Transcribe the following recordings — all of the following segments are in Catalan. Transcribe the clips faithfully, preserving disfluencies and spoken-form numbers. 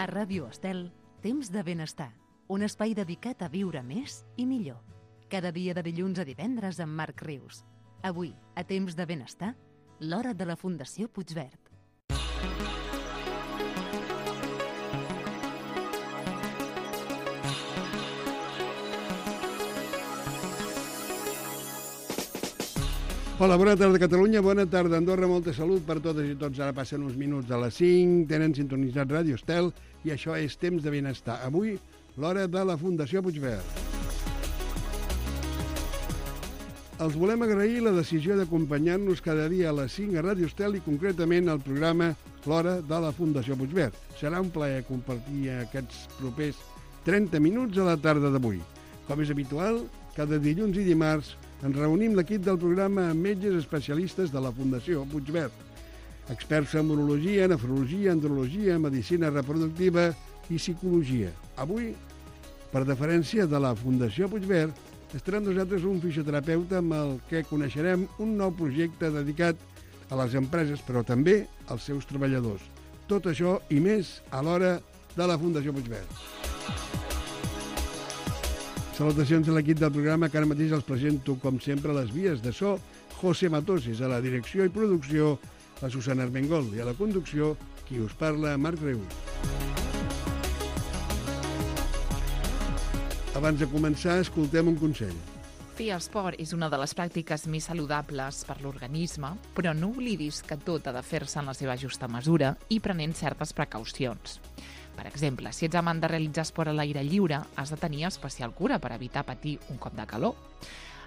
A Ràdio Estel, Temps de Benestar, un espai dedicat a viure més i millor. Cada dia de dilluns a divendres amb Marc Rius. Avui, a Temps de Benestar, l'hora de la Fundació Puigverd. Hola, bona tarda Catalunya, bona tarda Andorra, molta salut per totes i tots. Ara passen uns minuts a les cinc, tenen sintonitzat Ràdio Estel i això és Temps de Benestar. Avui, l'hora de la Fundació Puigverd. Els volem agrair la decisió d'acompanyar-nos cada dia a les cinc a Ràdio Estel i concretament al programa L'hora de la Fundació Puigverd. Serà un plaer compartir aquests propers trenta minuts a la tarda d'avui. Com és habitual, cada dilluns i dimarts ens reunim l'equip del programa amb metges especialistes de la Fundació Puigverd, experts en urologia, nefrologia, andrologia, medicina reproductiva i psicologia. Avui, per deferència de la Fundació Puigverd, estarà amb nosaltres un fisioterapeuta amb el que coneixerem un nou projecte dedicat a les empreses, però també als seus treballadors. Tot això i més a l'hora de la Fundació Puigverd. Salutacions a l'equip del programa, que ara mateix els presento, com sempre, a les vies de so, José Matoses, a la direcció i producció, la Susana Armengol, i a la conducció, qui us parla, Marc Rius. Abans de començar, escoltem un consell. Fer esport és una de les pràctiques més saludables per l'organisme, però no oblidis que tot ha de fer-se en la seva justa mesura i prenent certes precaucions. Per exemple, si ets amant de realitzar esport a l'aire lliure, has de tenir especial cura per evitar patir un cop de calor.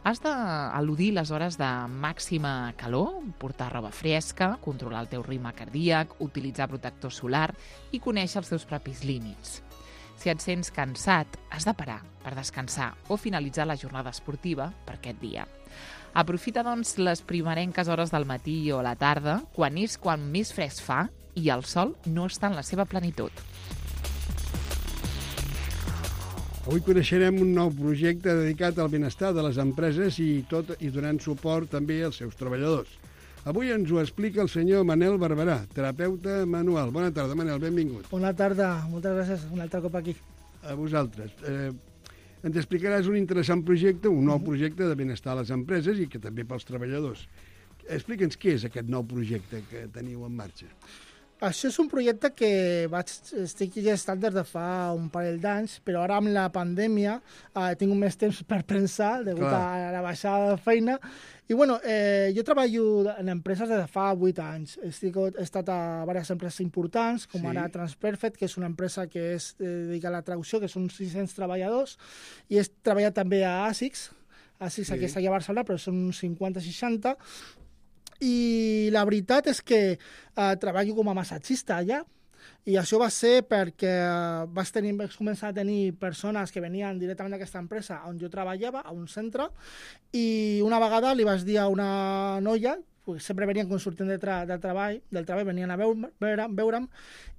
Has d'eludir les hores de màxima calor, portar roba fresca, controlar el teu ritme cardíac, utilitzar protector solar i conèixer els teus propis límits. Si et sents cansat, has de parar per descansar o finalitzar la jornada esportiva per aquest dia. Aprofita, doncs, les primerenques hores del matí o a la tarda, quan és quan més fresc fa i el sol no està en la seva plenitud. Avui coneixerem un nou projecte dedicat al benestar de les empreses i tot i donant suport també als seus treballadors. Avui ens ho explica el senyor Manel Barberà, terapeuta manual. Bona tarda, Manel, benvingut. Bona tarda, moltes gràcies, un altre cop aquí. A vosaltres. Eh, ens explicaràs un interessant projecte, un nou projecte de benestar a les empreses i que també pels treballadors. Explica'ns què és aquest nou projecte que teniu en marxa. Això és un projecte que vaig, estic gestant des de fa un parell d'anys, però ara amb la pandèmia eh, he tingut més temps per pensar, degut Clar. a la baixada de feina. I bueno, eh, jo treballo en empreses des de fa vuit anys. Estic, he estat a diverses empreses importants, com sí. ara Transperfect, que és una empresa que és eh, dedicada a la traducció, que són sis-cents treballadors, i he treballat també a ASICS, ASICS sí. aquí està aquí a Barcelona, però són uns cinquanta seixanta, i la veritat és que eh, treballo com a massatgista allà, i això va ser perquè eh, vaig, tenir, vaig començar a tenir persones que venien directament d'aquesta empresa on jo treballava, a un centre, i una vegada li vaig dir a una noia, sempre venien quan sortint de, tra de treball, del treball, venien a veure, veure, veure'm,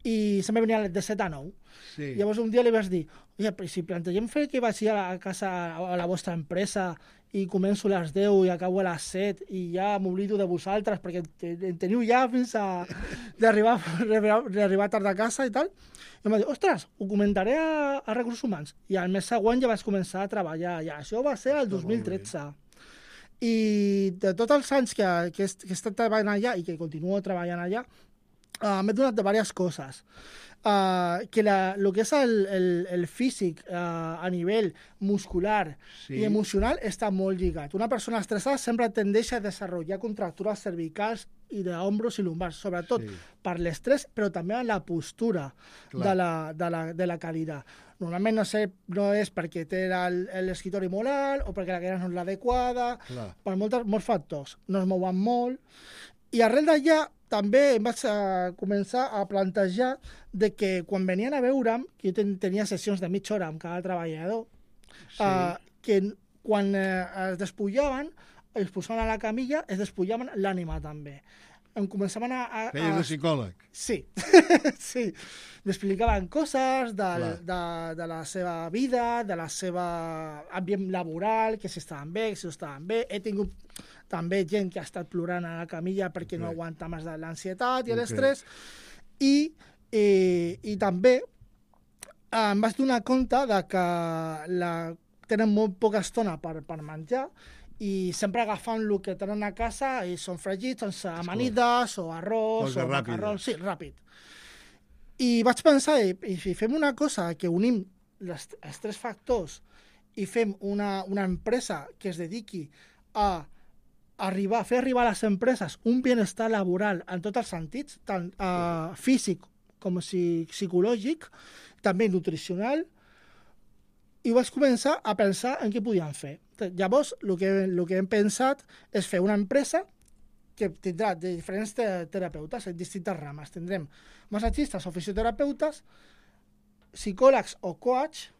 i sempre venien de set a nou. Sí. Llavors un dia li vaig dir, oye, si plantegem fer que vagi a la casa, a la vostra empresa, i començo a les deu i acabo a les set i ja m'oblido de vosaltres perquè en teniu ja fins a d'arribar tard a casa i tal. I em va dir, ostres, ho comentaré a, a Recursos Humans. I al mes següent ja vaig començar a treballar allà. Això va ser el dos mil tretze. I de tots els anys que, que, he, que he estat treballant allà i que continuo treballant allà, uh, m'he donat de diverses coses. Uh, que la, lo que és el, el, el físic uh, a nivell muscular sí. i emocional està molt lligat. Una persona estressada sempre tendeix a desenvolupar contractures cervicals i d'ombros i lumbars, sobretot sí. per l'estrès, però també en la postura de la, de, la, de la cadira. Normalment no, sé, no és perquè té l'escriptori molt alt o perquè la cadira no és l'adequada, per moltes, molts factors. No es mouen molt. I arrel d'allà també em vaig a començar a plantejar de que quan venien a veure'm, que jo ten, tenia sessions de mitja hora amb cada treballador, sí. uh, que quan uh, es despullaven, es posaven a la camilla, es despullaven l'ànima també. Em començaven a... a Feies de psicòleg? Sí, sí. M'explicaven coses de, de, de la seva vida, de la seva ambient laboral, que si estaven bé, que si no estaven bé. He tingut també gent que ha estat plorant a la camilla perquè okay. no aguanta més de l'ansietat i okay. l'estrès. I, i, I també em vaig donar compte de que la, tenen molt poca estona per, per menjar i sempre agafant el que tenen a casa i són fregits, sense amanides o arròs Cosa o ràpida. macarrons. Sí, ràpid. I vaig pensar, i, i si fem una cosa que unim les, els tres factors i fem una, una empresa que es dediqui a arribar, fer arribar a les empreses un benestar laboral en tots els sentits, tant uh, físic com si, psicològic, també nutricional, i vaig començar a pensar en què podíem fer. Llavors, el que, el que hem pensat és fer una empresa que tindrà de diferents te terapeutes en distintes rames. Tindrem massatgistes o fisioterapeutes, psicòlegs o coach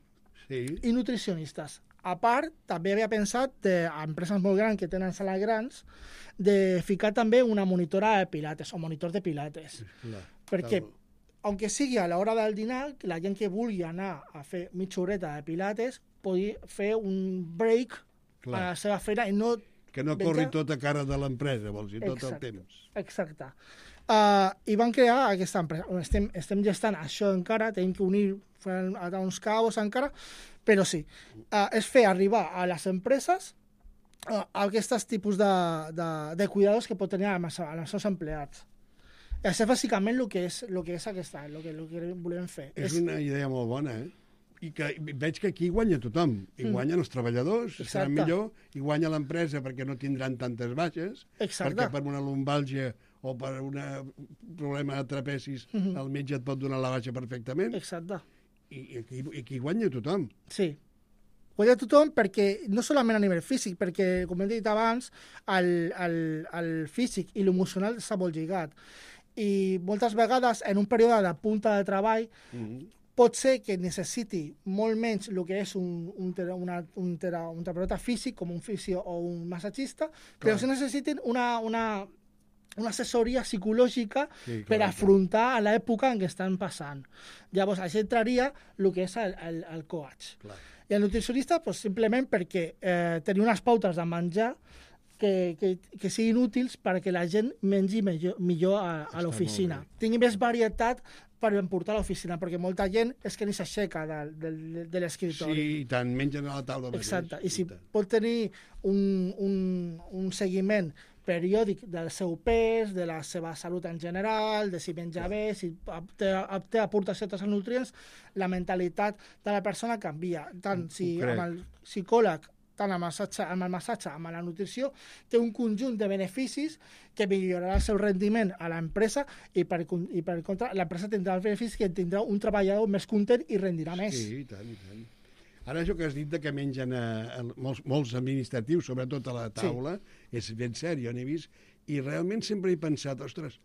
Sí. i nutricionistes. A part, també havia pensat, de, a empreses molt grans que tenen sales grans, de ficar també una monitora de pilates o monitor de pilates. Clar, Perquè, clar. aunque sigui a l'hora del dinar, la gent que vulgui anar a fer mitja horeta de pilates pugui fer un break Clar. a la seva feina i no... Que no Menja- corri tota cara de l'empresa, vols dir, tot Exacte. el temps. Exacte. Uh, I van crear aquesta empresa. Estem, estem gestant això encara, tenim que unir fent uns caos encara, però sí, uh, és fer arribar a les empreses uh, aquests tipus de, de, de cuidados que pot tenir amb els, amb els seus empleats. I això és bàsicament el que és, el que és aquesta, el que, el que volem fer. És una idea molt bona, eh? I que veig que aquí guanya tothom. I Mm. guanyen els treballadors, serà Exacte. millor, i guanya l'empresa perquè no tindran tantes baixes, Exacte. perquè per una lumbàlgia o per un problema de trapecis Mhm. el metge et pot donar la baixa perfectament, Exacte. i, i, aquí, i aquí guanya tothom. Sí. Guanya tothom perquè, no solament a nivell físic, perquè, com hem dit abans, el, el, el físic i l'emocional està molt lligat. I moltes vegades, en un període de punta de treball, Mm. pot ser que necessiti molt menys el que és un, un, tera, una, un, tera, un terapeuta físic, com un fisio o un massatgista, però Clar. sí necessiten una, una, una assessoria psicològica Sí, per clar, afrontar a l'època en què estan passant. Llavors, això entraria el que és el, el, el coach. Clar. I el nutricionista, pues, simplement perquè eh, tenir unes pautes de menjar que, que, que siguin útils perquè la gent mengi millor, millor a, a Està l'oficina. molt bé. Tingui més varietat per emportar a l'oficina, perquè molta gent és que ni s'aixeca de, de, de l'escriptori. Sí, i tant, mengen a la taula mateix. Exacte. I si tant. pot tenir un, un, un seguiment periòdic del seu pes, de la seva salut en general, de si menja bé, si té, té aportació als nutrients, la mentalitat de la persona canvia. Tant si crec. amb el psicòleg, tant amb el, massatge, amb el massatge, amb la nutrició, té un conjunt de beneficis que millorarà el seu rendiment a l'empresa i per, con- i per contra l'empresa tindrà els beneficis que tindrà un treballador més content i rendirà més. Sí, i tant, i tant. Ara això que has dit de que mengen a, a molts, molts administratius, sobretot a la taula, sí. és ben cert, jo n'he vist, i realment sempre he pensat, ostres,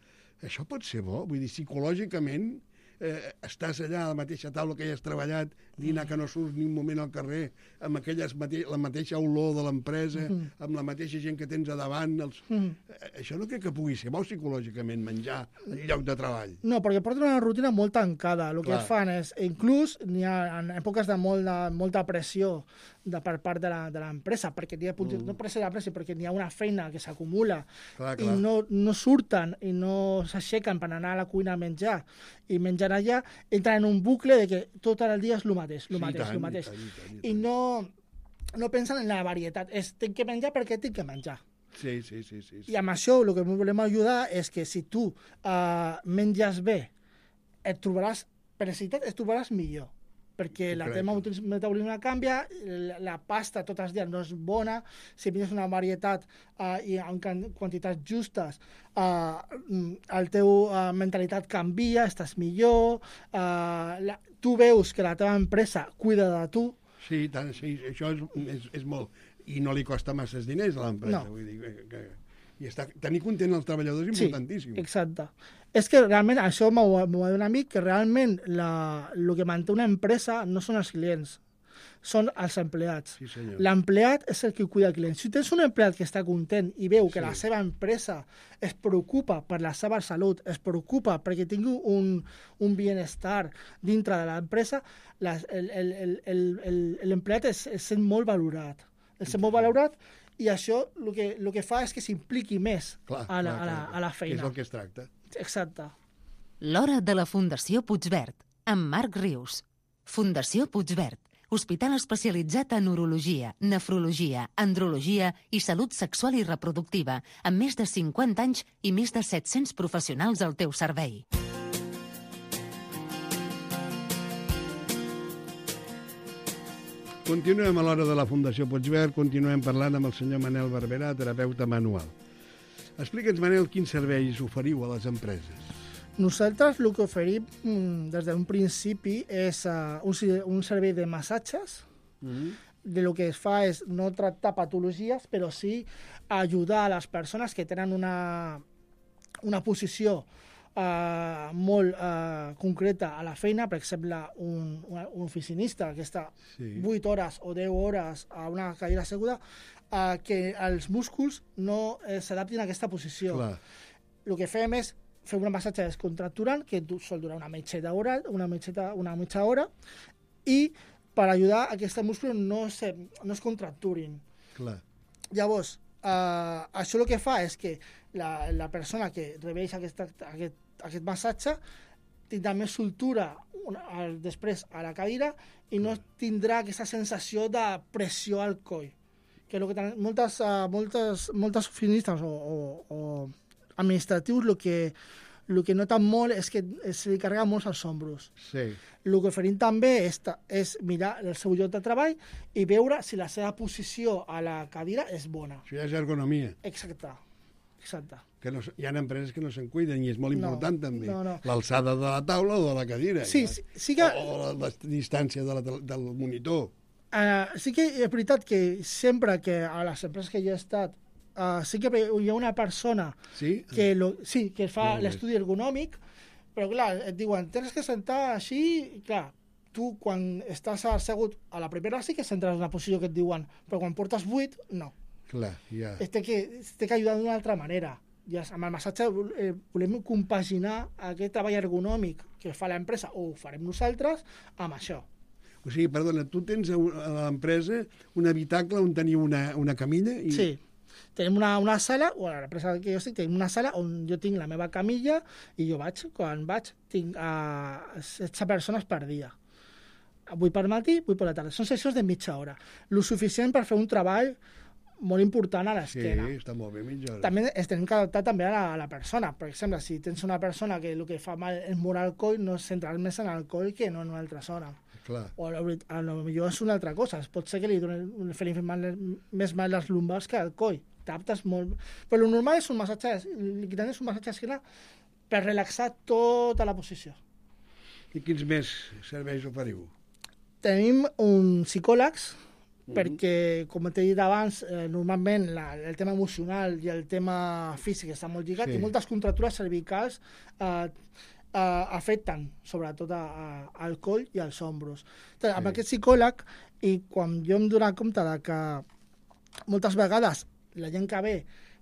això pot ser bo? Vull dir, psicològicament eh, estàs allà a la mateixa taula que hi has treballat, dinar que no surts ni un moment al carrer, amb aquelles mate la mateixa olor de l'empresa, Mhm. amb la mateixa gent que tens a davant. Els... Mhm. Eh, Això no crec que pugui ser bo psicològicament, menjar al lloc de treball. No, perquè porten una rutina molt tancada. El que Clar. et fan és, inclús n'hi ha en èpoques de, molt de molta pressió de, per part de la- de l'empresa, perquè n'hi ha, mm. no pressió de la pressió, perquè n'hi ha una feina que s'acumula Clar, i clar. no, no surten i no s'aixequen per anar a la cuina a menjar i menjar allà, entren en un bucle de que tot el dia és el mateix, el Sí, i mateix, tant, el i mateix. tant, i tant, i I tant. no, no pensen en la varietat. És, tinc que menjar perquè tinc que menjar. Sí, sí, sí, sí, sí. I amb això el que volem ajudar és que si tu uh, menges bé, et trobaràs, per necessitat, et trobaràs millor. Perquè la Correcte. teva metabolisme canvia, la, la pasta tots els dies no és bona, si menges una varietat uh, i en can- quantitats justes, uh, el teu uh, mentalitat canvia, estàs millor, uh, la, tu veus que la teva empresa cuida de tu. Sí, tant, sí, això és, és, és molt... I no li costa masses diners a l'empresa. No. Vull dir que, que, I està, tenir content els treballadors és Sí, importantíssim. exacte. És que realment això m'ho m'ho ha dit un amic, que realment la, el que manté una empresa no són els clients, són els empleats. Sí, senyor. L'empleat és el que cuida el client. Si tens un empleat que està content i veu que Sí. la seva empresa es preocupa per la seva salut, es preocupa perquè tingui un, un benestar dintre de l'empresa, les- el- el- el- el- el- l'empleat es, es sent molt valorat. Es sent molt valorat i això el que, el que fa és que s'impliqui més Clar, a, la, clar, a, la, clar, a la Que és feina. el que es tracta. Exacte. L'Hora de la Fundació Puigverd, amb Marc Rius. Fundació Puigverd, hospital especialitzat en urologia, nefrologia, andrologia i salut sexual i reproductiva, amb més de cinquanta anys i més de set-cents professionals al teu servei. Continuem a l'hora de la Fundació Puigverd, continuem parlant amb el senyor Manel Barberà, terapeuta manual. Explica'ns, Manel, quins serveis oferiu a les empreses. Nosaltres el que oferim des d'un principi és uh, un, un servei de massatges. Mm-hmm. De lo que es fa és no tractar patologies, però sí ajudar a les persones que tenen una, una posició uh, molt uh, concreta a la feina. Per exemple, un, un oficinista que està sí. vuit hores o deu hores a una cadira asseguda, uh, que els músculs no eh, s'adaptin a aquesta posició. Clar. El que fem és fer un massatge descontracturant que sol durar una mitjeta hora, una mitjeta, una mitja hora, i per ajudar a que aquests músculs no, se, no es contracturin. Clar. Llavors, eh, això el que fa és que la, la persona que rebeix aquest, aquest, aquest massatge tindrà més soltura al, després a la cadira i no tindrà aquesta sensació de pressió al coll. Que és el que tenen moltes, uh, moltes, moltes oficinistes o, o, o administratius, el que, el que noten molt és que se li carrega molt als ombros. Sí. El que oferim també és, és mirar el seu lloc de treball i veure si la seva posició a la cadira és bona. Això ja és ergonomia. Exacte. Exacte. Que no, hi ha empreses que no se'n cuiden i és molt important no, també. No, no. L'alçada de la taula o de la cadira. Sí, ja. sí, sí que... O la, la distància de la, del monitor. Uh, sí que és veritat que sempre que a les empreses que jo he estat Uh, sí que hi ha una persona sí? que, lo, sí, que fa no, l'estudi ergonòmic, però clar, et diuen tens que sentar així, i clar, tu quan estàs assegut a la primera sí que s'entres en una posició que et diuen, però quan portes vuit, no. Clar, ja. Es té que, es té que ajudar d'una altra manera. Ja, amb el massatge eh, volem compaginar aquest treball ergonòmic que fa l'empresa, o ho farem nosaltres, amb això. O sigui, perdona, tu tens a l'empresa un habitacle on teniu una, una camilla? I... Sí. Tenim una, una sala, o a l'empresa que jo estic, tenim una sala on jo tinc la meva camilla i jo vaig, quan vaig, tinc uh, setze persones per dia. vuit per matí, vuit per la tarda. Són sessions de mitja hora. Lo suficient per fer un treball molt important a l'esquena. Sí, està molt bé, mitja hora. També es tenim que adaptar també a la, a la persona. Per exemple, si tens una persona que el que fa mal és moure el coll, no centrar més en el coll que no en una altra zona. Clar. O a lo, a lo millor és una altra cosa. Pot ser que li doni més mal les lumbars que al coll. T'adaptes molt. Però el normal és un massatge, l'equitant és un massatge d'esquena per relaxar tota la posició. I quins més serveis oferiu? Tenim un psicòlegs, uh-huh. perquè, com t'he dit abans, eh, normalment la, el tema emocional i el tema físic està molt lligat, sí. I moltes contractures cervicals eh, Uh, afecten sobretot a, a, al coll i als ombros. Entonces, sí. Amb aquest psicòleg, i quan jo em dono compte de que moltes vegades la gent que ve,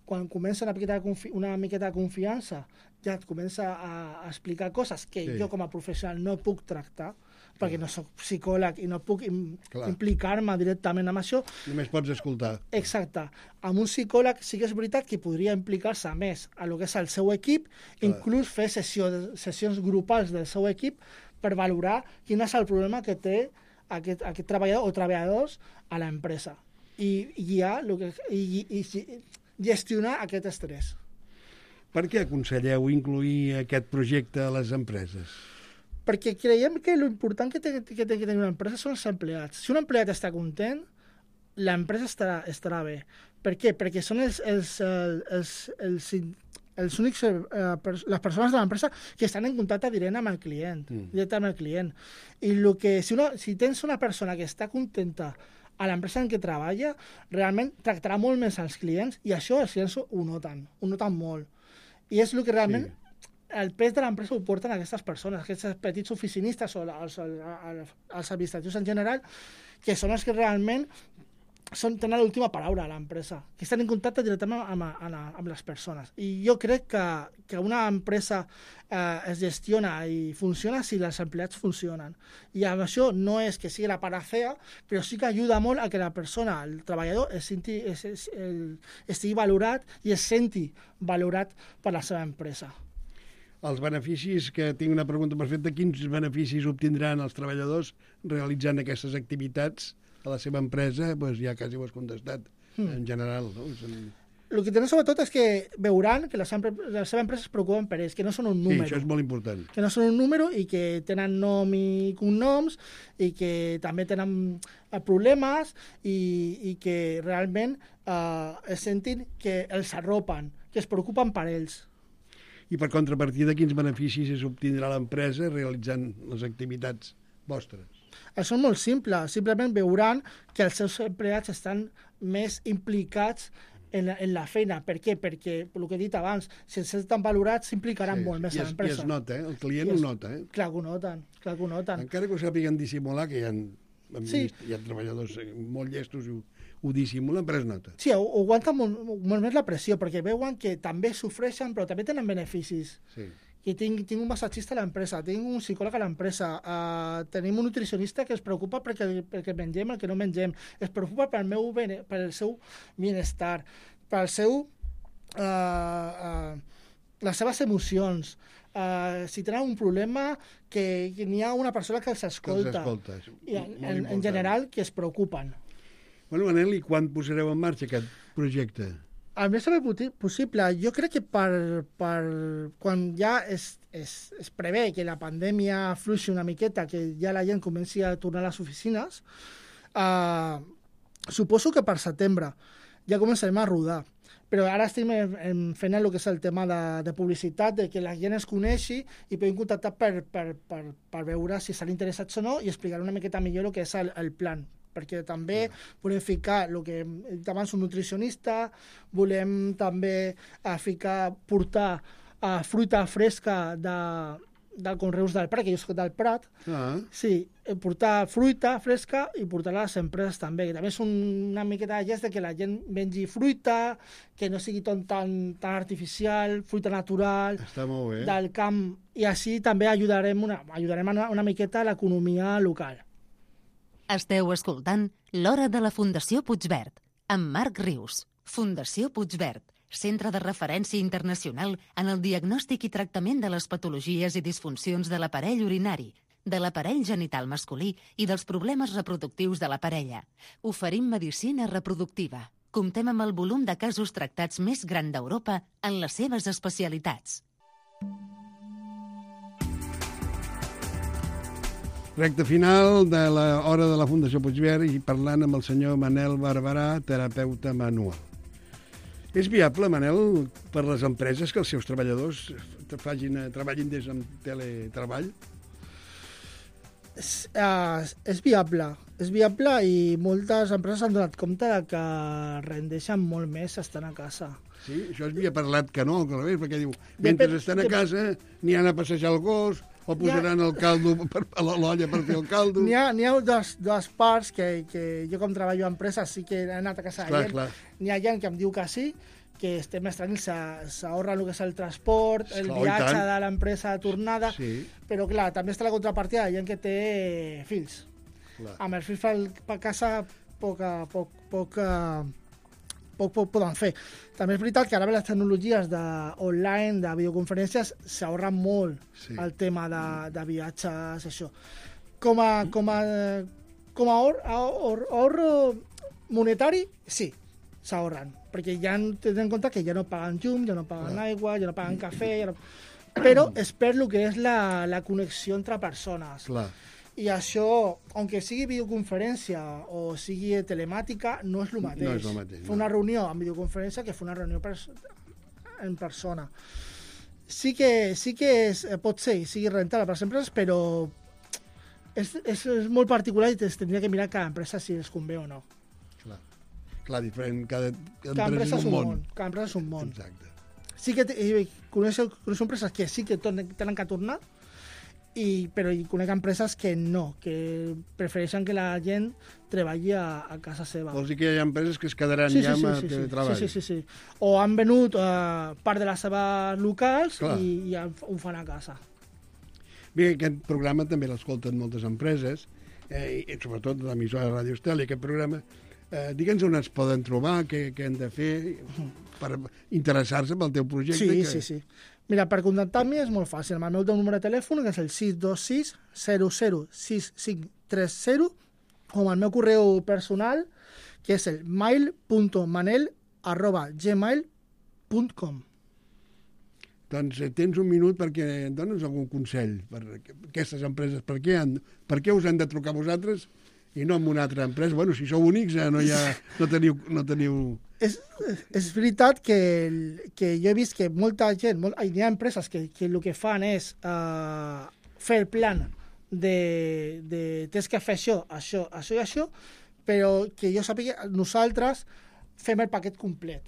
quan comença una miqueta de, confi una miqueta de confiança, ja et comença a, a explicar coses que sí. Jo com a professional no puc tractar, perquè no soc psicòleg i no puc im implicar-me directament amb això. Només pots escoltar. Exacte. Amb un psicòleg sí que és veritat que podria implicar-se més a lo que és el seu equip, clar. Inclús fer sessió, sessions grupals del seu equip per valorar quin és el problema que té aquest, aquest treballador o treballadors a l'empresa. I, i, ja, lo que, i, i, i gestionar aquest estrès. Per què aconselleu incluir aquest projecte a les empreses? Perquè creiem que l'important que té que, té que tenir una empresa són els empleats. Si un empleat està content, l'empresa estarà, estarà bé. Per què? Perquè són els, els, els, els, els únics, eh, les persones de l'empresa que estan en contacte directe amb el client. Mm. Directe amb el client. I lo que, si, una, si tens una persona que està contenta a l'empresa en què treballa, realment tractarà molt més als clients i això els clients ho noten, ho noten molt. I és el que realment... Sí. El pes de l'empresa ho porten aquestes persones, aquests petits oficinistes o els, els, els administratius en general, que són els que realment són, tenen l'última paraula a l'empresa, que estan en contacte directament amb, amb, amb les persones. I jo crec que, que una empresa eh, es gestiona i funciona si els empleats funcionen. I amb això no és que sigui la panacea, però sí que ajuda molt a que la persona, el treballador, es senti, es, es, el, estigui valorat i es senti valorat per la seva empresa. els beneficis, que tinc una pregunta perfecta, quins beneficis obtindran els treballadors realitzant aquestes activitats a la seva empresa? Doncs ja quasi ho has contestat, mm. en general, no? El que tenen sobretot és que veuran que la seva, la seva empresa es preocupen per ells, que no són un número. Sí, això és molt important. Que no són un número i que tenen nom i cognoms i que també tenen problemes i, i que realment eh, es sentin que els arropen, que es preocupen per ells. I per contrapartida, quins beneficis es obtindrà l'empresa realitzant les activitats vostres? Això és molt simple. Simplement veuran que els seus empleats estan més implicats en la, en la feina. Per què? Perquè, el que he dit abans, si els estan valorats, s'implicaran sí, molt més a l'empresa. I es nota, eh? El client ho nota, eh? Clar que ho noten, clar que ho noten. Encara que ho sàpiguen dissimular, que hi ha, sí. hi ha treballadors molt llestos i ho, ho dissimulen, però es nota. Sí, ho, ho aguanten molt, molt més la pressió, perquè veuen que també sofreixen, però també tenen beneficis. Sí. I tinc, tinc un massatgista a l'empresa, tinc un psicòleg a l'empresa, uh, tenim un nutricionista que es preocupa perquè, perquè mengem el que no mengem, es preocupa pel meu bene, pel seu benestar, pel seu, uh, uh, les seves emocions. Uh, si tenen un problema, que, que n'hi ha una persona que els escolta. Que els escolta. I en, en, en general, que es preocupen. Bueno, Manel, i quan posareu en marxa aquest projecte? El més aviat possible. Jo crec que per, per quan ja es, es, es prevé que la pandèmia fluixi una miqueta, que ja la gent comenci a tornar a les oficines, uh, suposo que per setembre ja començarem a rodar. Però ara estem fent el que és el tema de, de publicitat, de que la gent es coneixi i podem contactar per, per, per, per veure si estan interessats o no i explicar una miqueta millor el que és el, el plan. Perquè també volem ficar el que hem dit abans, un nutricionista, volem també uh, ficar, portar uh, fruita fresca de, del Conreus del Prat, que jo soc del Prat, ah. sí, portar fruita fresca i portar-la a les empreses també, que també és un, una miqueta de gest de que la gent mengi fruita, que no sigui tot tan, tan artificial, fruita natural, està molt bé. Del camp, i així també ajudarem una, ajudarem una, una miqueta a l'economia local. Esteu escoltant l'Hora de la Fundació Puigverd, amb Marc Rius. Fundació Puigverd, centre de referència internacional en el diagnòstic i tractament de les patologies i disfuncions de l'aparell urinari, de l'aparell genital masculí i dels problemes reproductius de la parella. Oferim medicina reproductiva. Comptem amb el volum de casos tractats més gran d'Europa en les seves especialitats. Recte final de l'Hora de la Fundació Puigverd i parlant amb el senyor Manel Barberà, terapeuta manual. És viable, Manel, per les empreses que els seus treballadors facin, treballin des del teletreball? És, uh, és viable. És viable i moltes empreses han donat compte de que rendeixen molt més estant a casa. Sí? Això es havia parlat que no, que no, perquè diu, mentre Dep estan a casa, n'hi han a passejar el gos, o posaran ha... el caldo per, a l'olla per fer el caldo. N'hi ha, ha dos, dos parts que, que jo com treballo a empreses sí que he anat a casa de gent. N'hi ha gent que em diu que sí, que estem més tranquils, s'ahorra el que és el transport, el esclar, viatge de l'empresa de tornada, sí. Però clar, també està la contrapartida de gent que té fills. Clar. Amb els fills per casa poc, poc, poc, poc, poc poden fer. També és veritat que ara les tecnologies de online, de videoconferències, s'ahorren molt sí. El tema de, de viatges, això. Com a, com a, com a ahor, ahor, ahorro monetari, sí, s'ahorren, perquè ja tenen en compte que ja no paguen llum, ja no paguen aigua, ja no paguen cafè, ja no... però es perd el que és la, la connexió entre persones. Clar. I això, aunque sigui videoconferència o sigui telemàtica, no és el mateix. No és el mateix. Fer una reunió en videoconferència que fer una reunió per, en persona. Sí que, sí que és, pot ser, sigui rentable per les empreses, però és, és, és molt particular i es tindria que mirar cada empresa si els convé o no. Clar, Clar diferent, cada, cada, cada empresa és un món. món. Cada empresa és un món. Exacte. Sí que coneixo, coneixo empreses que sí que tenen que tornar, I, però hi conec empreses que no, que prefereixen que la gent treballi a, a casa seva. Vols dir que hi ha empreses que es quedaran sí, sí, ja amb sí, sí, treball? Sí, sí, sí, sí. O han venut uh, part de les seves locals Clar. i, i ho fan a casa. Bé, aquest programa també l'escolten moltes empreses, eh, i sobretot l'emissora de Ràdio Estel, i aquest programa, eh, digue'ns on es poden trobar, què, què han de fer per interessar-se pel teu projecte. Sí, que... sí, sí. Mira, per contactar amb mi és molt fàcil. El meu número de telèfon, que és el sis dos sis zero zero sis cinc tres zero, o el meu correu personal, que és el mail punt manel arroba gmail punt com. Doncs eh, tens un minut perquè em dones algun consell per aquestes empreses. Per què, han, per què us han de trucar vosaltres i no amb una altra empresa? Bueno, si sou únics, eh, no, hi ha, no teniu... No teniu... És, és veritat que, que jo he vist que molta gent, molt, hi ha empreses que, que el que fan és uh, fer el plan de, de tens que fer això, això, això i això, però que jo sàpiga, nosaltres fem el paquet complet.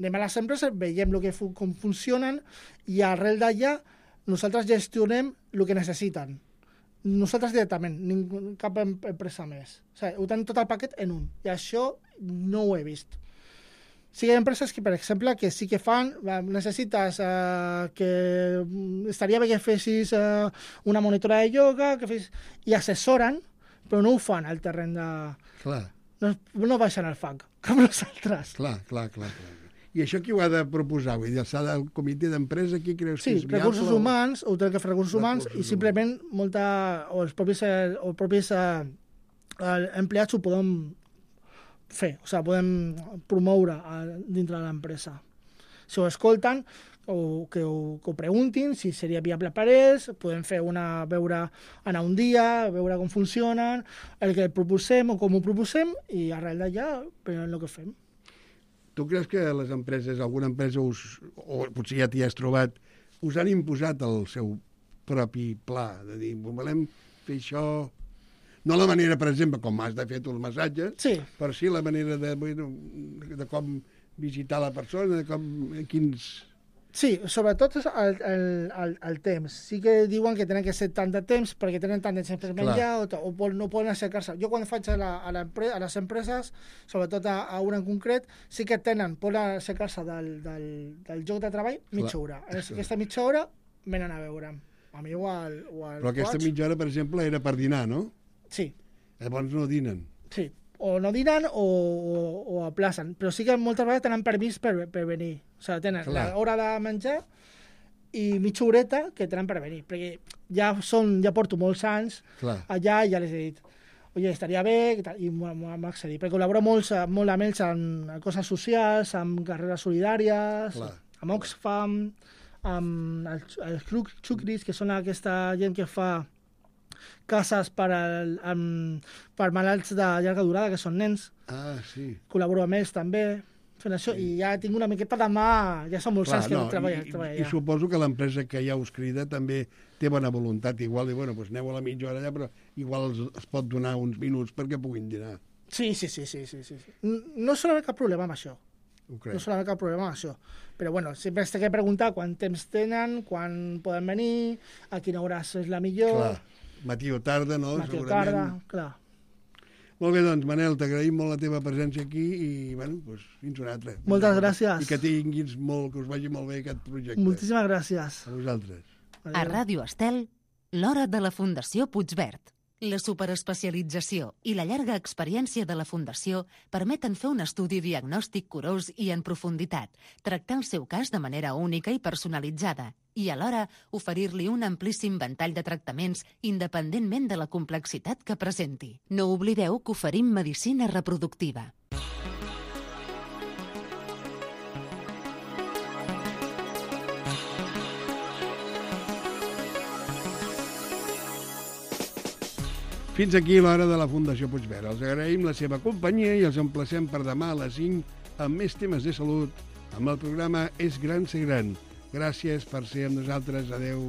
Anem a les empreses, veiem lo que fu, com funcionen i arrel d'allà nosaltres gestionem el que necessiten. Nosaltres directament, ningú, cap empresa més. O sigui, ho tenim tot el paquet en un. I això no ho he vist. Sí que hi ha empreses que, per exemple, que sí que fan, necessites eh, que estaria bé que fessis eh, una monitora de ioga, que fes, i assessoren, però no ho fan al terreny de... Clar. No, no baixen al fang, com nosaltres. Clar, clar, clar, clar. I això qui ho ha de proposar? Vull dir, s'ha del comitè d'empresa, qui creus sí, que és viable? Recursos o... humans, ho té que fer recursos humans, recursos i simplement molta, o els propis, o els propis eh, empleats ho poden fer, o sigui, podem promoure a, dintre de l'empresa. Si ho escolten, o que ho, que ho preguntin, si seria viable per ells, podem fer una, veure, anar un dia, veure com funcionen, el que proposem o com ho proposem, i arrel d'allà, però el que fem. Tu creus que les empreses, alguna empresa, us, o potser ja t'hi has trobat, us han imposat el seu propi pla, de dir, volem fer això... No la manera, per exemple, com has de fer tu el massatge, sí, però sí la manera de, bueno, de com visitar la persona, de com, quins... Sí, sobretot el, el, el, el temps. Sí que diuen que tenen que ser tant de temps perquè tenen tant de temps per menjar o, o, o no poden aixecar-se. Jo quan faig a, la, a, la, a les empreses, sobretot a, a una en concret, sí que tenen, poden aixecar-se del, del, del lloc de treball mitja hora. En aquesta mitja hora venen a veure'm. A mi o al, o al Però aquesta coach. mitja hora, per exemple, era per dinar, no? Sí. Llavors no dinen. Sí, o no dinan o, o, o aplacen, però sí que moltes vegades tenen permís per, per venir. O sigui, tenen l'hora de menjar i mitja horeta que tenen per venir, perquè ja, són, ja porto molts anys Clar. allà i ja les he dit oye, estaria bé, i, tal, i m'ha accedit, perquè col·laboro molt, molt amb ells en, en coses socials, amb carreres solidàries, Clar. amb Oxfam, amb els, els Xucris, que són aquesta gent que fa cases per, al, amb, per malalts de llarga durada, que són nens. Ah, sí. Col·laboro amb ells també, fent això, sí. I ja tinc una miqueta de mà, ja són molts anys que no, treballa, i, treballa i, I suposo que l'empresa que ja us crida també té bona voluntat, igual, i bueno, doncs aneu a la mitja hora allà, però igual els, es pot donar uns minuts perquè puguin dinar. Sí, sí, sí, sí, sí, sí. No sol haver cap problema amb això. No sol haver cap problema amb això. Però, bueno, sempre has de preguntar quant temps tenen, quan poden venir, a quina hora és la millor... Clar. Matí o tarda, no? Matí o tarda, clar. Molt bé, doncs, Manel, t'agraïm molt la teva presència aquí i, bueno, doncs, fins una altra. Moltes gràcies. I que tinguis molt, que us vagi molt bé aquest projecte. Moltíssimes gràcies. A vosaltres. Adéu. A Ràdio Estel, l'hora de la Fundació Puigverd. La superespecialització i la llarga experiència de la Fundació permeten fer un estudi diagnòstic curós i en profunditat, tractar el seu cas de manera única i personalitzada i alhora oferir-li un amplíssim ventall de tractaments independentment de la complexitat que presenti. No oblideu que oferim medicina reproductiva. Fins aquí l'hora de la Fundació Puigverd. Els agraïm la seva companyia i els emplacem per demà a les cinc amb més temes de salut amb el programa És Gran Ser Gran. Gràcies per ser amb nosaltres. Adéu.